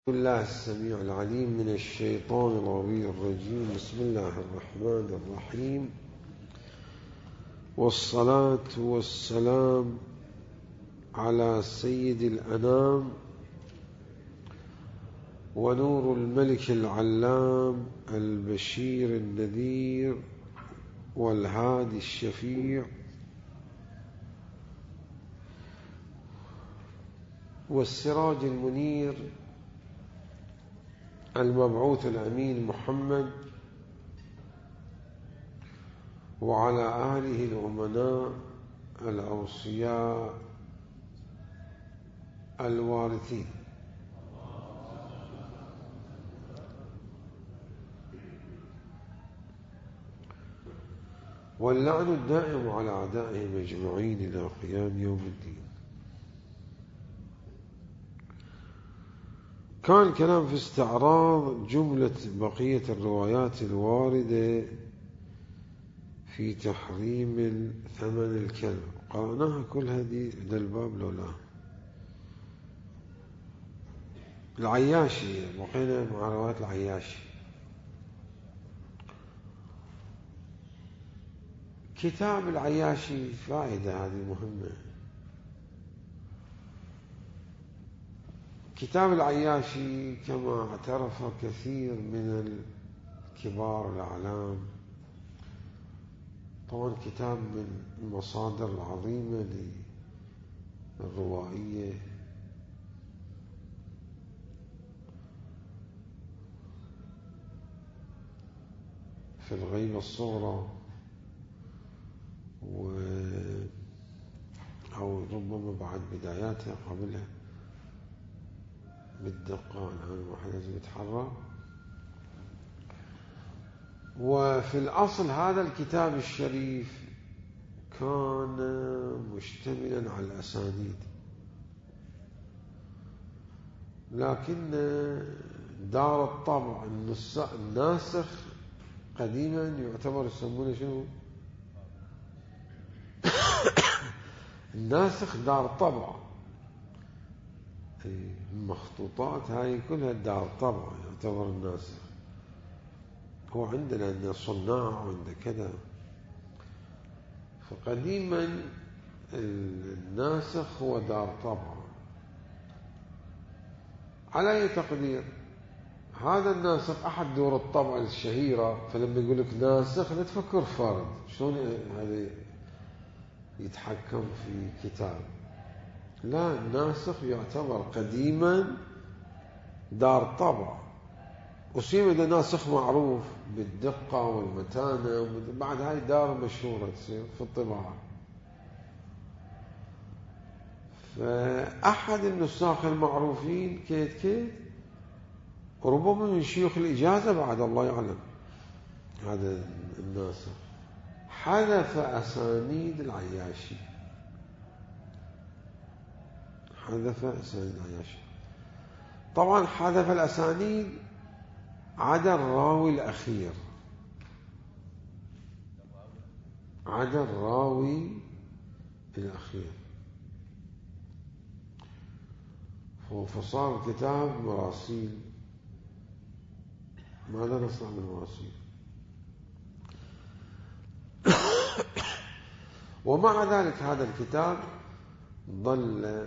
الله السميع العليم من الشيطان الغوي الرجيم. بسم الله الرحمن الرحيم، والصلاة والسلام على سيد الأنام ونور الملك العلام البشير النذير والهادي الشفيع والسراج المنير المبعوث الأمين محمد، وعلى آله الأمناء الأوصياء الوارثين. واللعن الدائم على أعدائهم أجمعين إلى قيام يوم الدين. كان الكلام في استعراض جملة بقية الروايات الواردة في تحريم ثمن الكلب. قرأناها كلها دي ذا الباب لولا العياشي، بقينا مع روايات العياشي. كتاب العياشي فائدة هذه مهمة. كتاب العياشي كما اعترف كثير من الكبار الأعلام، طبعا كتاب من المصادر العظيمة للروائية، في الغيبة الصغرى أو ربما بعد بداياتها قبلها بالدقة. الآن الواحد لازم يتحرى. وفي الأصل هذا الكتاب الشريف كان مشتملا على الأسانيد، لكن دار الطبع الناسخ قديما يعتبر يسمونه شنو؟ الناسخ دار طبع. المخطوطات هاي كلها دار طبع يعتبر الناسخ. هو عندنا عندنا صناع وعندنا كذا، فقديما الناسخ هو دار طبع. على أي تقدير هذا الناسخ أحد دور الطبع الشهيرة، فلما يقول لك ناسخ لا تفكر فرد شلون هذا يتحكم في كتاب. لا، الناسخ يعتبر قديما دار طبع، وسيما إذا ناسخ معروف بالدقة والمتانة، بعد هاي دار مشهورة تصير في الطباعة. فأحد النساخ المعروفين كيت وربما من شيوخ الإجازة بعد الله يعلم، هذا الناسخ حذف أسانيد العياشي. طبعا حذف الأسانيد عدا الراوي الأخير، فصار كتاب مراسيل. ماذا نصنع بالمراسيل؟ ومع ذلك هذا الكتاب ظل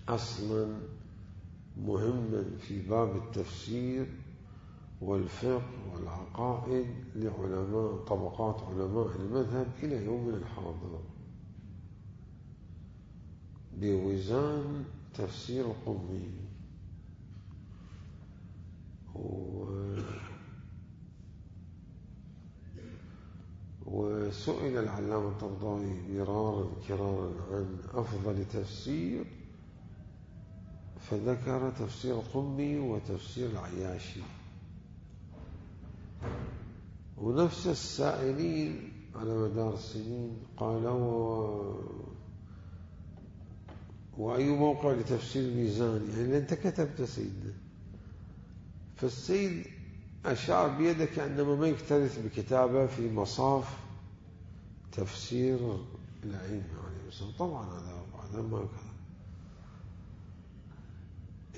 أصلا مهما في باب التفسير والفقه والعقائد لعلماء طبقات علماء المذهب إلى يومنا الحاضر، بوزان تفسير القمي. وسئل العلامة الطبطاوي مرارا كرارا عن أفضل تفسير، فذكر تفسير القمي وتفسير العياشي. ونفس السائلين على مدار السنين قالوا وأي موقع لتفسير الميزان، يعني أنت كتبت سيدنا. فالسيد أشار بيده كأنما ما يكترث بكتابه في مصاف تفسير الأئمة عليه السلام. طبعا هذا ما كذا.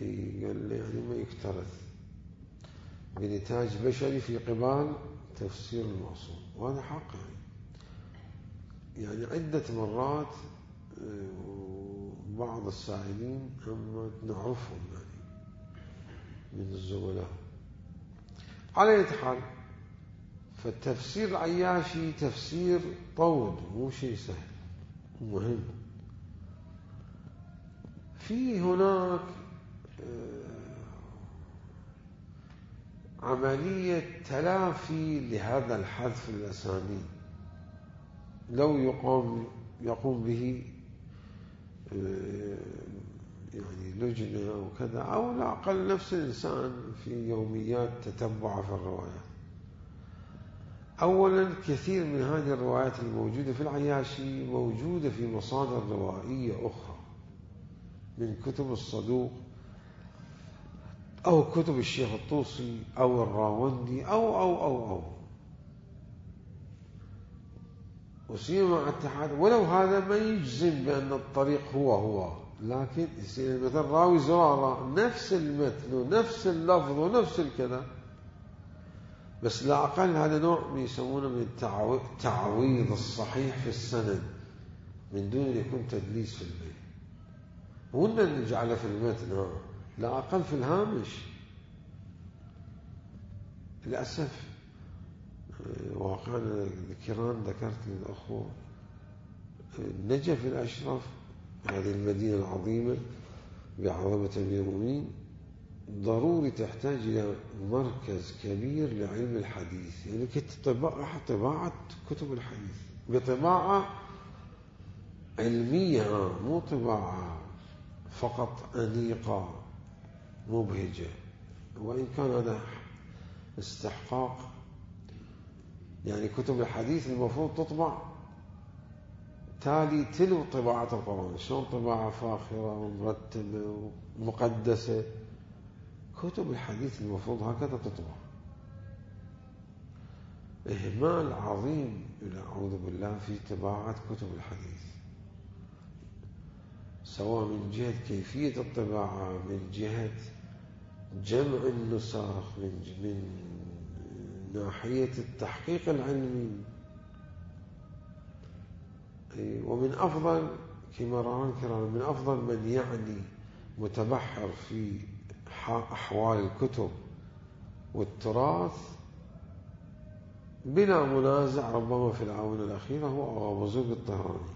قال لي يعني ما يكترث بنتاج بشري في قبال تفسير المعصوم، وهذا حق يعني عدة مرات بعض السائلين هم نعرفهم يعني من الزملاء. على أي حال، فالتفسير العياشي تفسير طود، مو شيء سهل ومهم. في هناك عملية تلافي لهذا الحذف الأسانيد لو يقوم به يعني لجنة أو كذا، أو لا أقل نفس الإنسان في يوميات تتبع في الروايات. أولا، كثير من هذه الروايات الموجودة في العياشي موجودة في مصادر روائية أخرى من كتب الصدوق أو كتب الشيخ الطوسي أو الراوندي أو وسيما مع الاتحاد، ولو هذا ما يجزم بأن الطريق هو، لكن يصير مثلا راوي زرارة نفس المتن ونفس اللفظ ونفس الكلام، بس لا أقل هذا نوع يسمونه من تعويض الصحيح في السند من دون أن يكون تدليس في البيت، وإن نجعله في المتن لا أقل في الهامش. للأسف واقعنا الكرام ذكرت للأخوة النجف الأشرف، هذه المدينة العظيمة بعظمة أمير المؤمنين، ضروري تحتاج إلى مركز كبير لعلم الحديث، يعني طباعة كتب الحديث بطباعة علمية، مو طباعة فقط أنيقة مبهجة. وإن كان هذا استحقاق، يعني كتب الحديث المفروض تطبع تالي تلو طباعة القرآن، شلون طباعة فاخرة ومرتبة ومقدسة، كتب الحديث المفروض هكذا تطبع. إهمال عظيم أعوذ بالله في طباعة كتب الحديث، سواء من جهة كيفية الطباعة، من جهة جمع النسخ، من ناحية التحقيق العلمي. ومن أفضل كما رأى الكرام، من أفضل من يعني متبحر في أحوال الكتب والتراث بلا منازع ربما في الآونة الأخيرة هو أغا بزرق الطهراني،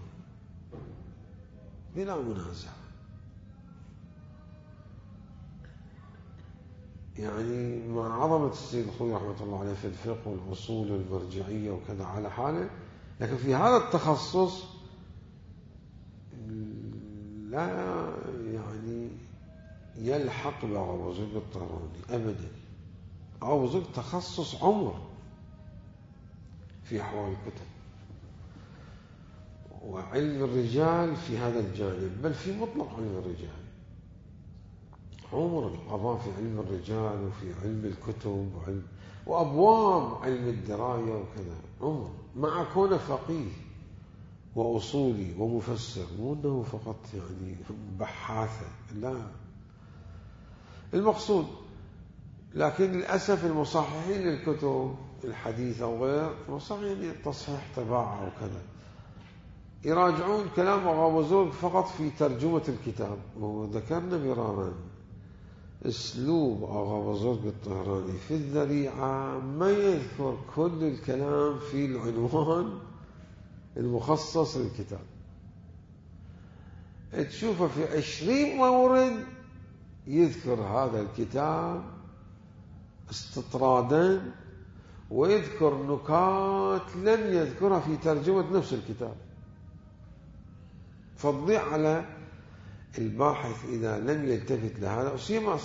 بلا منازع. يعني مع عظمة السيد الخوي رحمة الله عليه في الفقه والأصول والمرجعية وكذا على حاله، لكن في هذا التخصص لا يعني يلحق بأغا بزرق الطهراني أبدا. أغا بزرق تخصص عمر في أحوال الكتب وعلم الرجال في هذا الجانب، بل في مطلق علم الرجال، عمر القضاء في علم الرجال وفي علم الكتب وأبواب علم الدراية وكذا، عمر مع كونه فقيه وأصولي ومفسر، مو أنه فقط يعني بحاثة، لا المقصود. لكن للأسف المصححين للكتب الحديثة وغير مصححين التصحيح طباعة وكذا يراجعون كلام أغا بزرق فقط في ترجمة الكتاب. وذكرنا مرارا اسلوب أغا بزرق الطهراني في الذريعة ما يذكر كل الكلام في العنوان المخصص للكتاب، تشوفه في 20 مورد يذكر هذا الكتاب استطرادا، ويذكر نكات لم يذكرها في ترجمة نفس الكتاب، فتضيع على الباحث إذا لم يلتفت لهذا. وسيما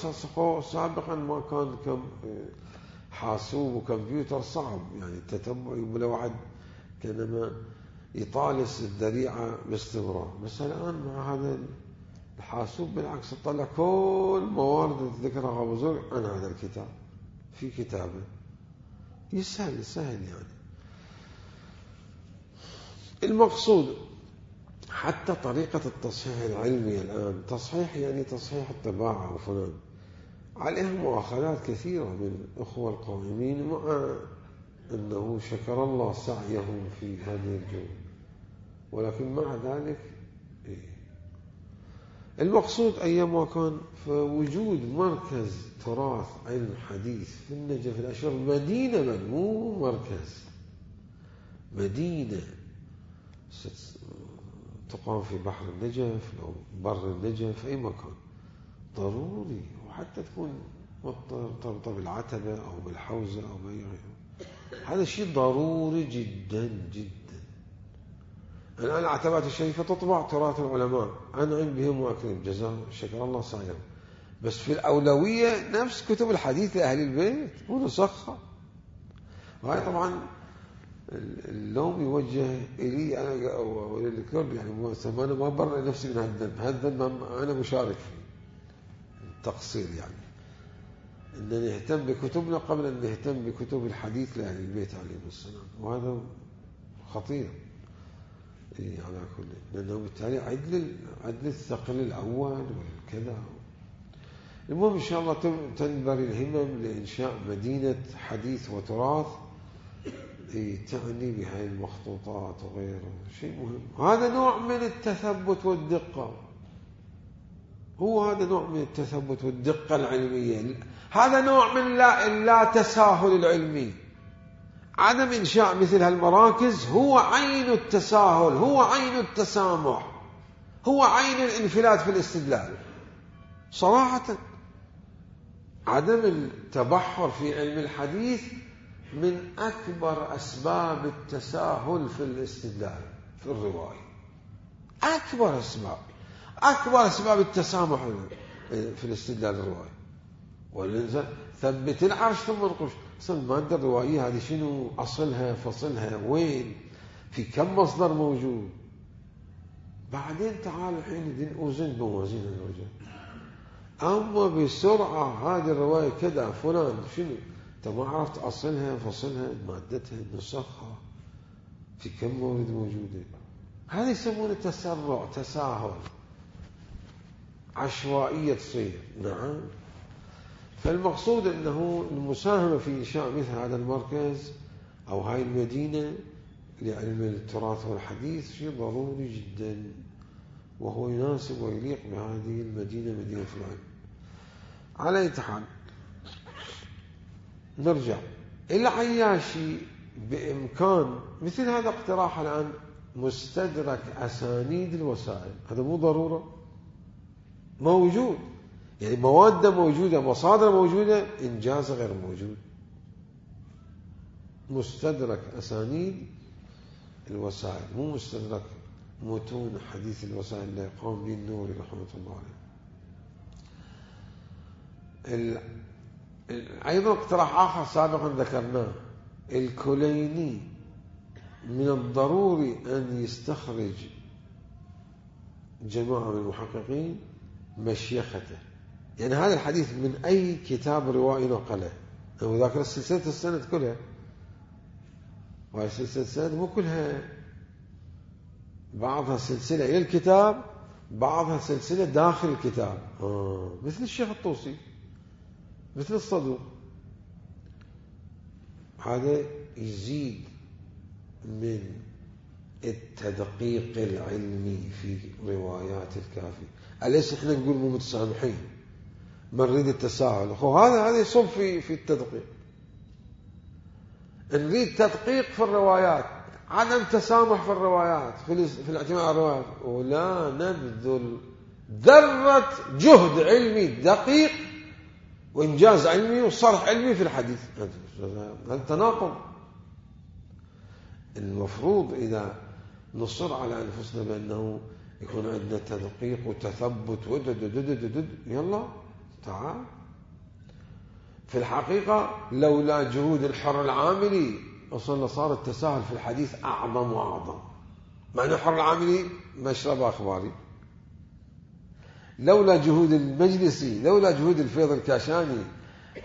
سابقا ما كان حاسوب وكمبيوتر صعب، يعني التتبع ولا واحد كانما يطالس الذريعة باستمرار، بس الآن مع هذا الحاسوب بالعكس تطلع كل موارد ذكرها أغا بزرق عن هذا الكتاب في كتابه، يسهل يعني. المقصود حتى طريقة التصحيح العلمي الآن، تصحيح يعني تصحيح الطباعة وفلان، عليها مؤاخذات كثيرة من الأخوة القائمين، مع أنه شكر الله سعيهم في هذه الجهود، ولكن مع ذلك المقصود أيما كان فوجود مركز تراث علم حديث في النجف الأشرف، مدينة مو مركز، مدينة تقام في بحر النجف أو بر النجف أي مكان، ضروري، وحتى تكون مرتبطة بالعتبة أو بالحوزة أو بأي غيره، هذا شيء ضروري جدا جدا. الآن العتبات الشريفة تطبع تراث العلماء، أنعم بهم وأكرم، جزاهم شكر الله سعيهم، بس في الأولوية نفس كتب الحديث لأهل البيت ونسخها. وهي طبعا اللوم يوجه إلي أنا وللكل، يعني أنا ما برئ نفسي من هالذنب، أنا مشارك في التقصير، يعني أن نهتم بكتبنا قبل أن نهتم بكتب الحديث لأهل البيت عليهم السلام، وهذا خطير على كل، لأنه بالتالي عدل الثقل الأول والكذا. المهم إن شاء الله تنبري الهمم لإنشاء مدينة حديث وتراث تعني بهاي المخطوطات وغيره، شيء مهم. هذا نوع من التثبت والدقة، هو هذا نوع من التثبت والدقة العلمية، هذا نوع من لا تساهل العلمي. عدم إنشاء مثل هالمراكز هو عين التساهل، هو عين التسامح، هو عين الانفلات في الاستدلال صراحة. عدم التبحر في علم الحديث من أكبر أسباب التساهل في الاستدلال في الرواية، أكبر أسباب التسامح في الاستدلال الرواية. ولذا ثبت العرش ثم انقش، أصل المادة الروائية هذه شنو أصلها فصلها وين، في كم مصدر موجود، بعدين تعال الحين أوزن موازين الرجال. أما بسرعة هذه الرواية كذا فلان شنو، أنت ما عرفت أصلها فصلها مادتها نسخها في كم مورد موجودة، هذا يسمونه تسرع، تساهل، عشوائية تصير. نعم. فالمقصود أنه المساهمة في إنشاء مثل هذا المركز أو هاي المدينة لعلم التراث والحديث شيء ضروري جدا، وهو يناسب ويليق بهذه المدينة، مدينة العلم. على أي حال نرجع العياشي بإمكان مثل هذا اقتراح الآن مستدرك أسانيد الوسائل، هذا مو ضرورة موجود، يعني مواد موجودة، مصادر موجودة، إنجاز غير موجود. مستدرك أسانيد الوسائل، مو مستدرك متون حديث الوسائل اللي قام به النوري رحمة الله عليه. أيضا اقتراح آخر سابقا ذكرناه، الكليني من الضروري أن يستخرج جماعة من المحققين مشيخته، يعني هذا الحديث من أي كتاب روائي نقله، أو ذاكر سلسلة السند كلها، وهي سلسلة السند مو كلها، بعضها سلسلة إلى الكتاب، بعضها سلسلة داخل الكتاب، مثل الشيخ الطوسي، مثل الصدوق. هذا يزيد من التدقيق العلمي في روايات الكافي. أليس احنا نقول مو متسامحين، ما نريد التساهل، هذا يصب في التدقيق. نريد تدقيق في الروايات، عدم تسامح في الروايات، في الاعتماد على الروايات، ولا نبذل ذرة جهد علمي دقيق وإنجاز علمي وصرح علمي في الحديث. هذا تناقض. المفروض إذا نصر على أنفسنا بأنه يكون عندنا تدقيق وتثبت يلا تعال. في الحقيقة لولا جهود الحر العاملي أصلا صار التساهل في الحديث أعظم وأعظم، مع أن الحر العاملي مشرب أخباري. لولا جهود المجلسي، لولا جهود الفيض الكاشاني،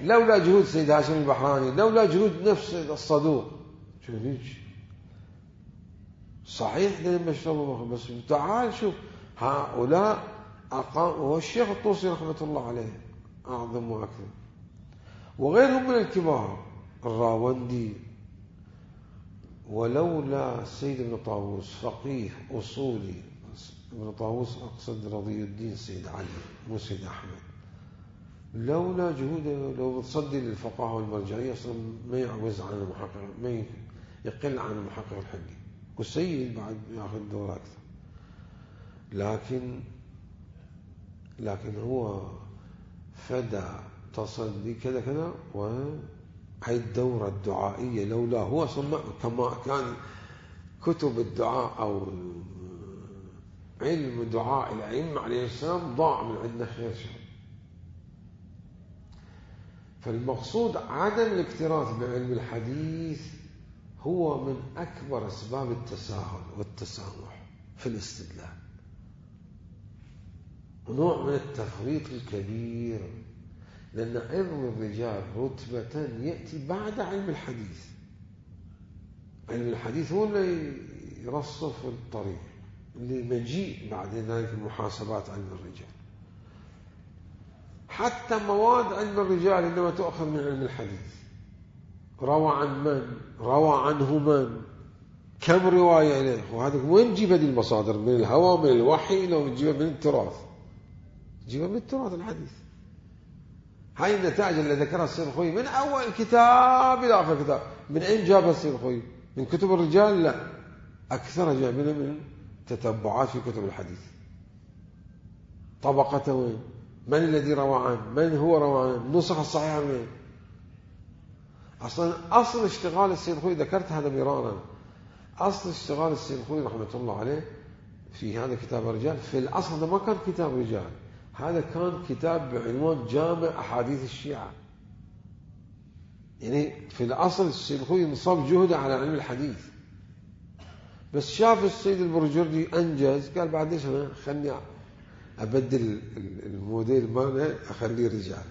لولا جهود سيد هاشم البحراني، لولا جهود نفس الصدوق، صحيح لما اشتغلوا، بس تعال شوف هؤلاء والشيخ الطوسي رحمة الله عليه أعظم وأكثر، وغيرهم من الكبار، الراوندي. ولولا السيد ابن طاووس فقيه أصولي، ابن طاووس أقصد رضي الدين سيد علي مو سيد أحمد، لولا جهوده لو بتصدي للفقهاء والمرجعية أصلا ما يعوز عن المحقق، ما يقل عن المحقق الحقي، والسيد بعد ياخذ دور أكثر. لكن هو فدى تصدي كذا كذا، وهي الدورة الدعائية لولا هو كما كان كتب الدعاء أو علم دعاء الأئمة عليه السلام ضاع من عندنا خير شر. فالمقصود عدم الاكتراث بعلم الحديث هو من أكبر أسباب التساهل والتسامح في الاستدلال، نوع من التفريط الكبير، لأن علم الرجال رتبة يأتي بعد علم الحديث. علم الحديث هو اللي يرصف الطريق لمجيء بعد ذلك محاسبات علم الرجال. حتى مواد علم الرجال إنما تؤخذ من علم الحديث. روى عن من؟ روى عنه من؟ كم رواية إليه؟ وهذا وين نجيب هذه المصادر؟ من الهوى، من الوحي، لو نجيبها من التراث؟ نجيبها من التراث الحديث. هاي النتائج اللي ذكرها السيد الخوئي من أول كتاب إلى آخر كتاب. من أين جابها السيد الخوئي؟ من كتب الرجال؟ لا، أكثرها جايبينها من تتبعات في كتب الحديث. طبقته وين؟ من الذي روى عنه؟ من هو روى عنه؟ النسخ الصحيحة من؟ أصلا أصل اشتغال السيد الخوئي، ذكرت هذا مرارا، أصل اشتغال السيد الخوئي رحمة الله عليه في هذا كتاب الرجال، في الأصل هذا ما كان كتاب رجال، هذا كان كتاب بعنوان جامع أحاديث الشيعة. يعني في الأصل السيد الخوئي نصب جهده على علم الحديث، بس شاف السيد البرجردي أنجز، قال بعد ليش أنا خلني أبدل الموديل ماله أخليه رجال.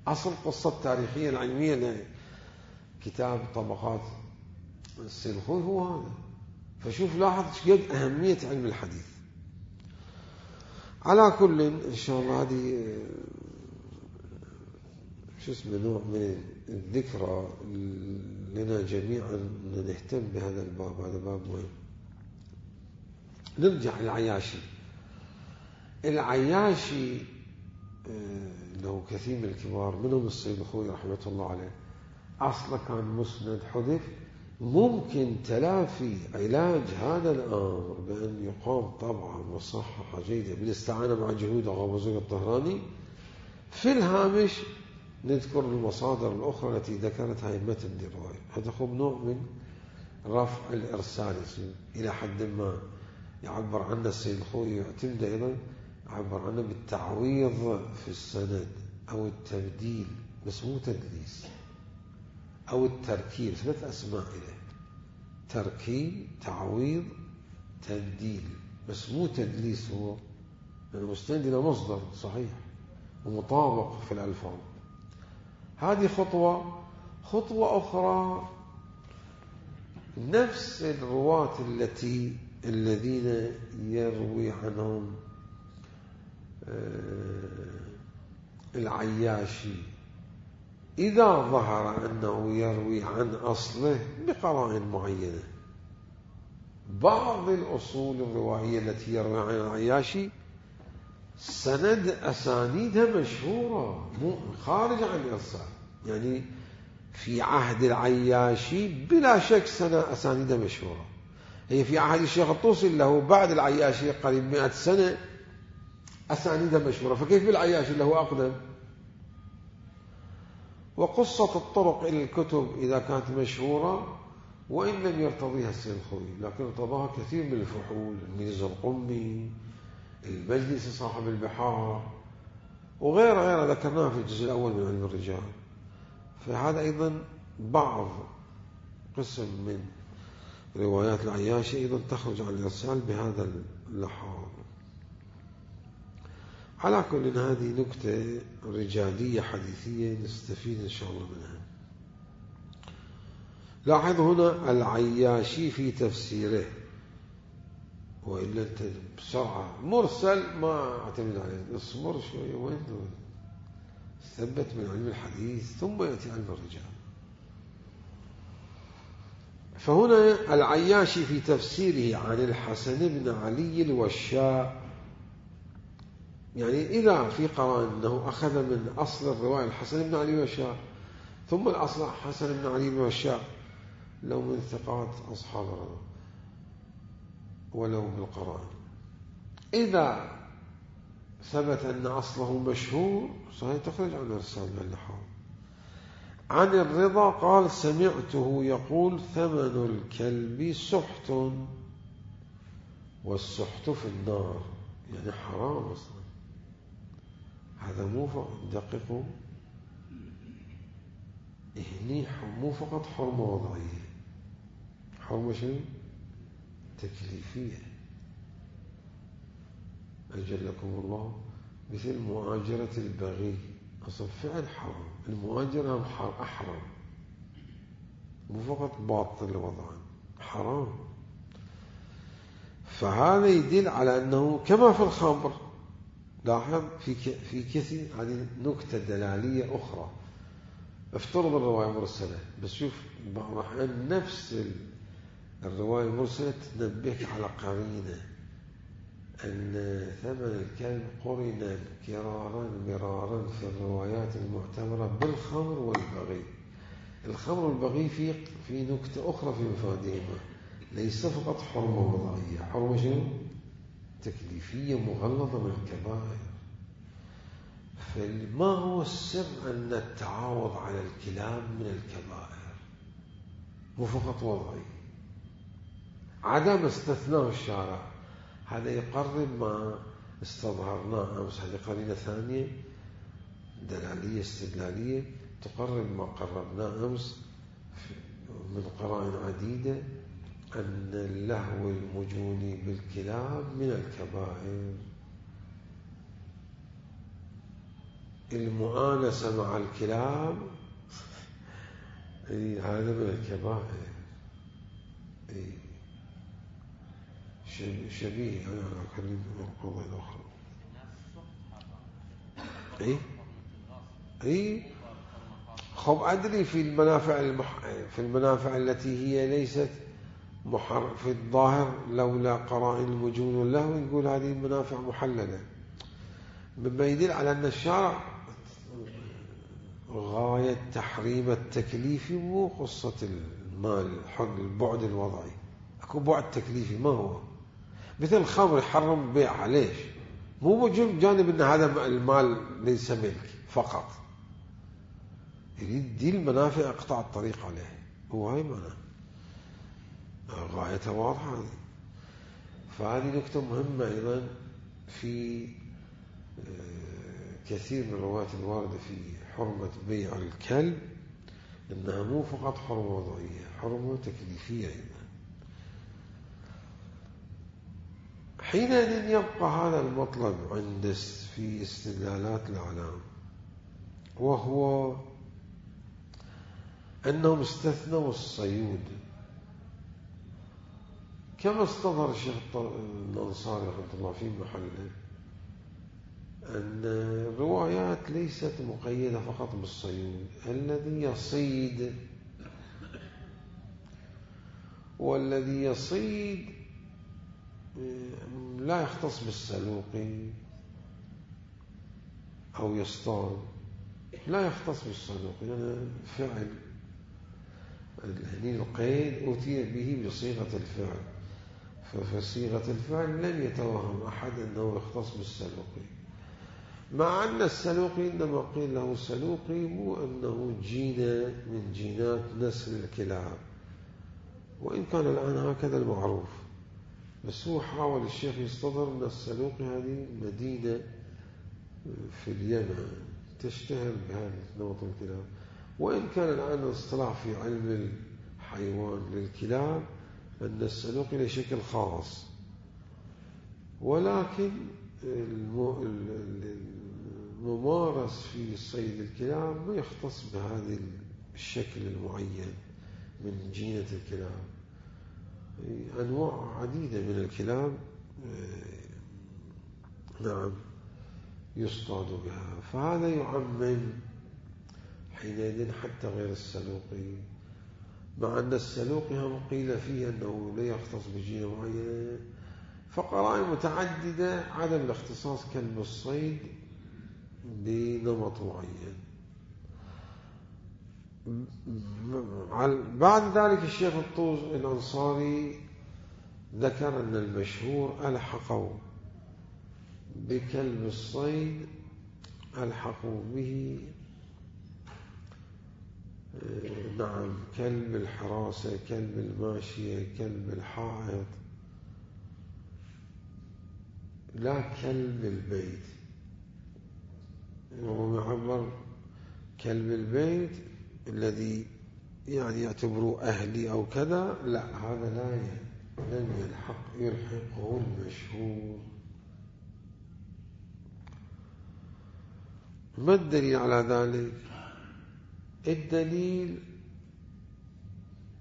أصل قصة تاريخية العلمية كتاب طبقات السيد الخوئي هو هذا. فشوف لاحظ قد أهمية علم الحديث. على كل إن شاء الله هذه نوع من الذكرى لنا جميعا أن نهتم بهذا الباب، هذا باب مهم. نرجع للعياشي. العياشي له كثير من الكبار، منهم السيد الخوئي رحمة الله عليه، أصلا كان مسند حذف. ممكن تلافي علاج هذا الأمر بأن يقام طبعا مصححة جيدة بالاستعانة مع جهود غابوزوق الطهراني. في الهامش نذكر المصادر الأخرى التي ذكرتها أئمة الرواية. هذا هو نوع من رفع الإرسال إلى حد ما يعبر عنه السيد الخوئي، يعتمد أيضا يعبر عنه بالتعويض في السند أو التبديل، بس مو تدليس، أو التركيب، 3 أسماء إليه: تركيب، تعويض، تبديل، بس مو تدليس. هو المستند إلى مصدر صحيح ومطابق في الألفاظ. هذه خطوة أخرى، نفس الرواة الذين يروي عنهم العياشي، إذا ظهر أنه يروي عن أصله بقرائن معينة، بعض الأصول الروائية التي يروي عن العياشي سند أسانيدها مشهورة، مو خارج عن الإرسال. يعني في عهد العياشي بلا شك أسانيدها مشهورة. هي في عهد الشيخ الطوسي له بعد العياشي قريب 100 سنة أسانيدها مشهورة، فكيف بالعياشي له أقدم؟ وقصة الطرق إلى الكتب إذا كانت مشهورة وإن لم يرتضيها السيد الخوئي، لكن ارتضاها كثير من الفحول، الميرزا القمي، المجلس صاحب البحار، وغيرها ذكرناها في الجزء الأول من علم الرجال. فهذا أيضا بعض قسم من روايات العياشي أيضا تخرج عن الإرسال بهذا اللحاظ. على كل هذه نكتة رجالية حديثية نستفيد إن شاء الله منها. لاحظ هنا العياشي في تفسيره وإلا أنت بسرعة مرسل ما اعتمد عليه، اصبر شوية وين ثبت من علم الحديث ثم يأتي علم الرجال. فهنا العياشي في تفسيره عن الحسن بن علي الوشاء، يعني إذا في قرائن أنه أخذ من أصل الرواية الحسن بن علي الوشاء ثم الأصل حسن بن علي الوشاء لو من ثقات أصحاب الرواية ولو بالقرائن، إذا ثبت أن أصله مشهور صحيح تخرج عن الإرسال بالنحو. عن الرضا قال سمعته يقول ثمن الكلب سحت والسحت في النار، يعني حرام أصلا. هذا مو دقيق، هني مو فقط حرمة وضعية، حرمة شنو؟ تكليفية. أجلكم الله، مثل مؤاجرة البغي، أصلا فعل حرام، المؤاجرة أحرم، مو فقط باطل وضعا، حرام. فهذا يدل على أنه كما في الخمر، لاحظ في كثير هذه نكتة دلالية أخرى. افترض الرواية مرسلة، بس شوف بعض الأحيان نفس الرواية المرسلة تنبهك على قرينة أن ثمن الكلب قرن كرارا مرارا في الروايات المعتبرة بالخمر والبغي. الخمر والبغي في نكتة أخرى في مفادهما، ليس فقط حرمة وضعية، حرمة شنو؟ تكليفية مغلظة من الكبائر. فما هو السر أن التعاوض على الكلام من الكبائر، مو فقط وضعي، عدم استثناء الشارع. هذا يقرب ما استظهرناه أمس، هذه قرينة ثانية دلالية استدلالية تقرب ما قربناه أمس من قرائن عديدة، أن اللهو المجوني بالكلام من الكبائر. المؤانسة مع الكلام هذا من الكبائر، شبيه أنا أكلم القضايا الأخرى. خب أدري في المنافع التي هي ليست في الظاهر لولا قرائن المجون واللهو نقول هذه المنافع محللة، مما يدل على أن الشارع غاية تحريم التكليف مو قصة المال، البعد الوضعي، أكو بعد تكليفي. ما هو مثل الخمر يحرم بيعها، ليش؟ مو جانب أن هذا المال ليس ملك فقط، يريد دي المنافع اقطع الطريق عليه، هو هاي معناه غايته واضحة. فهذه نكتة مهمة أيضا في كثير من الروايات الواردة في حرمة بيع الكلب، إنها مو فقط حرمة وضعية، حرمة تكليفية أيضا. حينئذ يبقى هذا المطلب عند في استدلالات الأعلام، وهو أنهم استثنوا الصيود، كما استظهر الشيخ الأنصاري رحمه الله في محله، أن الروايات ليست مقيدة فقط بالصيود، الذي يصيد والذي يصيد لا يختص بالسلوقي أو يصطاد، لا يختص بالسلوقي، يعني فعل هني القيد أتي به بصيغة الفعل، فصيغة الفعل لم يتوهم أحد أنه يختص بالسلوقي، مع أن السلوقي إنما قيل له سلوقي مو أنه جينة من جينات نسل الكلاب، وإن كان الآن هكذا المعروف، بس هو حاول الشيخ يستظهر أن السلوقي هذه مدينة في اليمن تشتهر بهذا نوع الكلاب، وإن كان الآن الاصطلاح في علم الحيوان للكلاب أن السلوقي لشكل خاص، ولكن الممارس في صيد الكلاب ما يختص بهذا الشكل المعين من جينة الكلاب. أنواع عديدة من الكلاب نعم يصطاد بها، فهذا يعمم حينئذ حتى غير السلوقي، مع أن السلوقي هم قيل فيه أنه لا يختص بجينة معينة، فقرائن متعددة عدم الاختصاص كلب الصيد بنمط معين. بعد ذلك الشيخ الطوز الأنصاري ذكر أن المشهور ألحقوا بكلب الصيد، ألحقوا به نعم كلب الحراسة، كلب الماشية، كلب الحائط، لا كلب البيت. وهو يعبر كلب البيت الذي يعني يعتبره أهلي أو كذا، لا هذا لم يلحقه المشهور. ما الدليل على ذلك؟ الدليل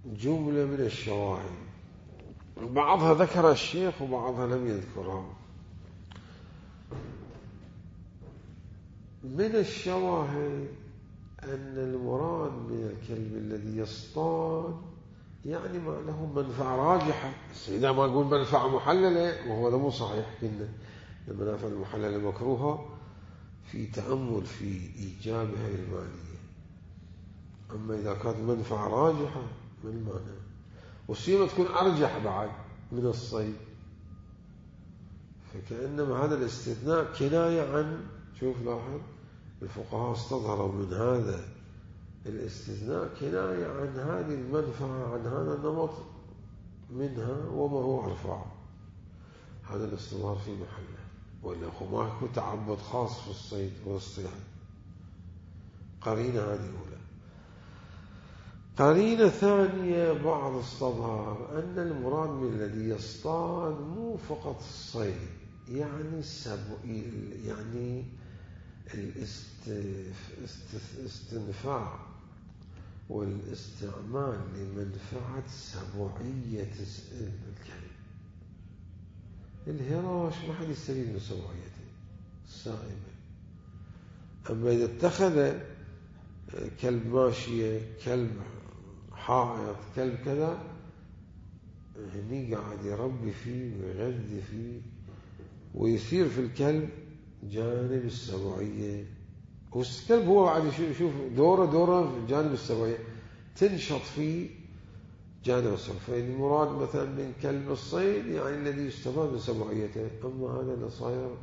جملة من الشواهد، بعضها ذكر الشيخ وبعضها لم يذكرها. من الشواهد أن المراد من الكلب الذي يصطاد يعني ما له منفعة راجحة. إذا ما أقول منفعة محللة وهو مو صحيح، كنا المنافع المحللة مكروهة في تأمل في إيجابها المالية. أما إذا كانت منفعة راجحة من المعنى، والسيمة تكون أرجح بعد من الصيد، فكأنما هذا الاستثناء كناية عن، شوف لاحظ الفقهاء استظهروا من هذا الاستثناء كناية عن هذه المنفعة، عن هذا النمط منها وما هو أرفع. هذا الاستظهار في محله، وإلا ما يكون تعبد خاص في الصيد والاصطياد. قرينة هذه أولى. قرينة ثانية بعض استظهار أن المراد من الذي يصطاد مو فقط الصيد، يعني يعني الاستنفاع والاستعمال لمنفعة سبوعية الكلب. الهراش ما حد يستفيد من سبوعيته السائمة. أما إذا اتخذ كلب ماشية، كلب حائط، كلب كذا، هني قاعد يربي فيه ويغذي فيه ويثير في الكلب جانب السبوعية. والكلب هو بعد يشوف دوره في جانب السبوعية، تنشط فيه جانب السبوعية. فالمراد مثلا من كلب الصيد يعني الذي يستفاد من سبوعيته. أما هذا اللي صاير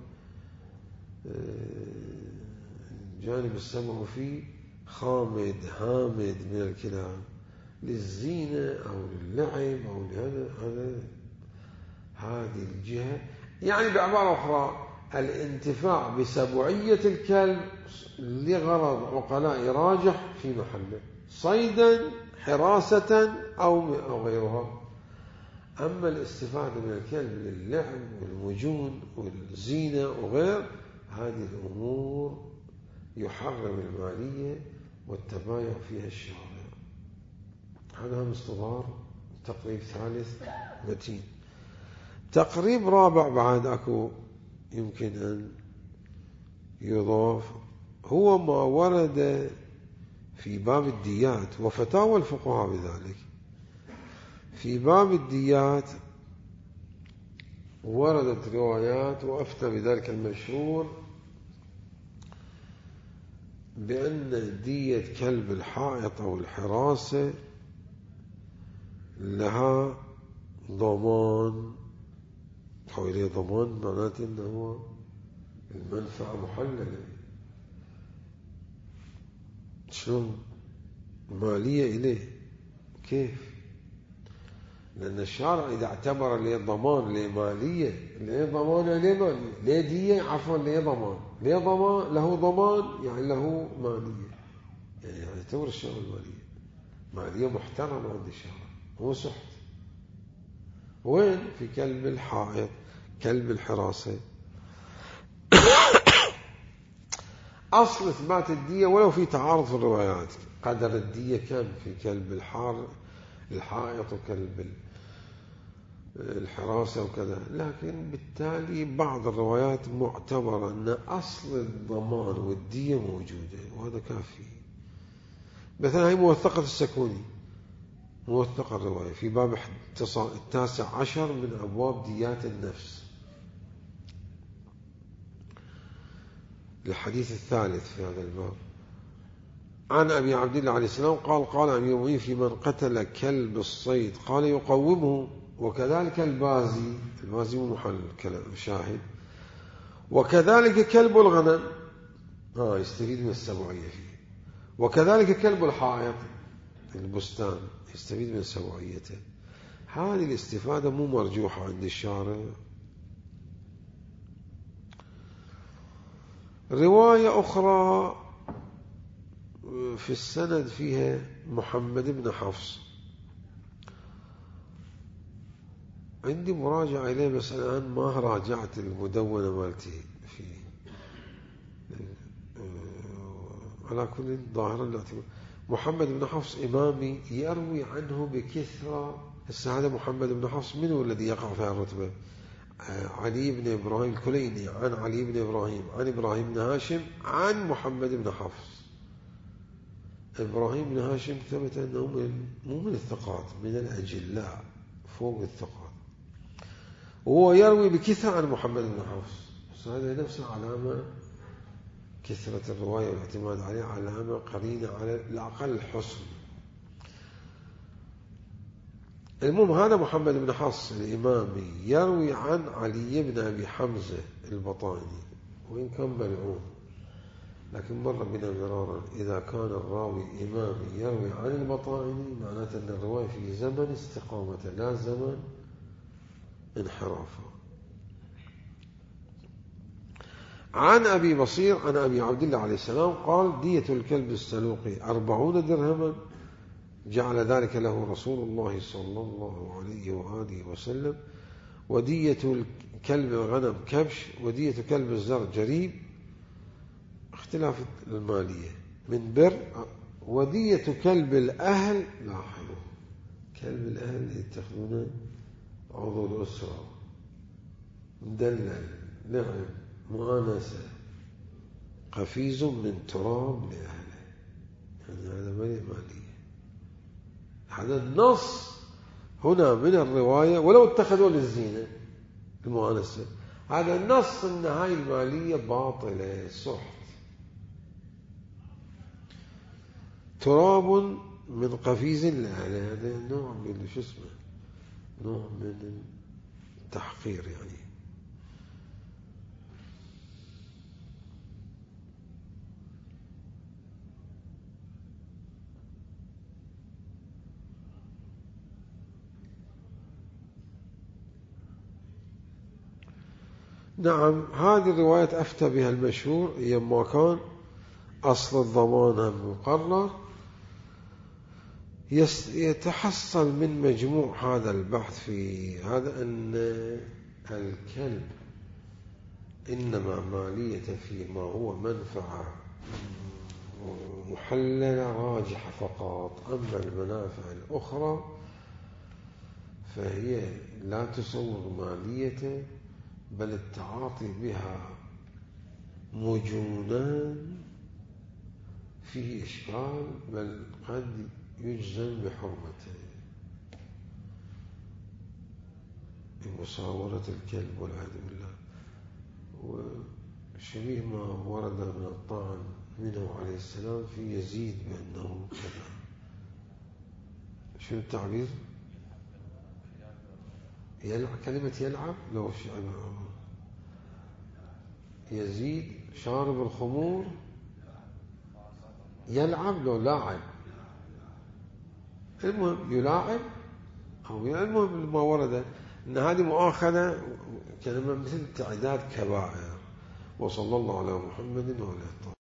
جانب السبع فيه خامد هامد من الكلاب للزينة أو للعب أو هذه الجهة. يعني بعبارة أخرى الانتفاع بسبوعية الكلب لغرض عقلاء راجح في محله، صيدا حراسة أو غيرها. أما الاستفادة من الكلب للعب والمجون والزينة وغير هذه الأمور يحرم المالية والتبايع فيها الشارع. هذا هم استظهار تقريب ثالث متين. تقريب رابع بعد أكو يمكن أن يضاف، هو ما ورد في باب الديات وفتاوى الفقهاء بذلك. في باب الديات وردت روايات وأفتى بذلك المشهور بأن دية كلب الحائط أو الحراسة لها ضمان. حوالي ضمان معناته أنه المنفعة محللة. شلون مالية إليه؟ كيف؟ لأن الشارع إذا اعتبر ليه ضمان ليه مالية، ليه ضمان ليه مالية، ليه دية عفوا ليه ضمان، ليه ضمان له ضمان يعني له مالية، يعني يعتبر الشارع المالية مالية محترمة عند الشارع مو سحت. وين؟ في كلب الحائط، كلب الحراسة. أصل إثبات الدية ولو في تعارض في الروايات، قدر الدية كم في كلب الحائط وكلب الحراسة وكذا، لكن بالتالي بعض الروايات معتبرة أن أصل الضمان والدية موجودة، وهذا كافي. مثلا هي موثقة السكوني، موثقة الرواية في باب 19 من أبواب ديات النفس، الحديث الثالث في هذا الباب. عن أبي عبد الله عليه السلام قال قال أمير المؤمنين في من قتل كلب الصيد قال يقومه، وكذلك البازي مو محل كلام شاهد، وكذلك كلب الغنم يستفيد من السبعية فيه، وكذلك كلب الحائط البستان يستفيد من سبعيته. هذه الاستفادة مو مرجوحة عند الشارع. رواية أخرى في السند فيها محمد بن حفص، عندي مراجعة إليه بس الآن ما راجعت المدونة مالتي فيه. على كل ظاهرا محمد بن حفص إمامي يروي عنه بكثرة. هذا محمد بن حفص من هو الذي يقع في الرتبة؟ علي بن إبراهيم الكليني عن علي بن إبراهيم عن إبراهيم بن هاشم عن محمد بن حفص. إبراهيم بن هاشم ثبت أنه مو من الثقات، من الأجلاء فوق الثقات، وهو يروي بكثرة عن محمد بن حفص. هذا نفس علامة كثرة الرواية والاعتماد عليها، علامة قرينة على الأقل الحسن. المهم هذا محمد بن حفص الإمامي يروي عن علي بن أبي حمزة البطاني، وإن كان ملعون، لكن مر بنا مرارا إذا كان الراوي إمامي يروي عن البطاني معناته أن الرواية في زمن استقامته لا زمن انحرافه. عن أبي بصير عن أبي عبد الله عليه السلام قال دية الكلب السلوقي 40 درهما جعل ذلك له رسول الله صلى الله عليه وآله وسلم، ودية الكلب الغنم كبش، ودية كلب الزر جريب، اختلاف المالية من بر، ودية كلب الأهل. لاحظوا كلب الأهل يتخذون عضو الأسرة، مدلل، نعم، مؤانسة، قفيز من تراب لأهله، يعني هذا مالية. هذا النص هنا من الرواية، ولو اتخذوا للزينة المؤانسة، هذا النص أن هاي المالية باطلة سحت. تراب من قفيز لأهله، هذا نوع من نوع من التحقير يعني. نعم هذه الرواية أفتى بها المشهور يما كان أصل الضمان مقرر. يتحصل من مجموع هذا البحث في هذا أن الكلب إنما مالية فيما هو منفعة محللة راجحة فقط، أما المنافع الأخرى فهي لا تصور مالية، بل التعاطي بها مجونان فيه إشكال، بل قد يجزم بحرمته. بمصاورة الكلب والعياذ بالله، وشبيه ما ورد من الطعن منه عليه السلام في يزيد بأنه كذا. شو التعبير؟ كلمة يلعب، لو يزيد شارب الخمور يلعب، لو لاعب، المهم يلاعب أو المهم ما ورد أن هذه مؤاخذة كلمة مثل تعداد كبائر. وصلى الله على محمد وعلى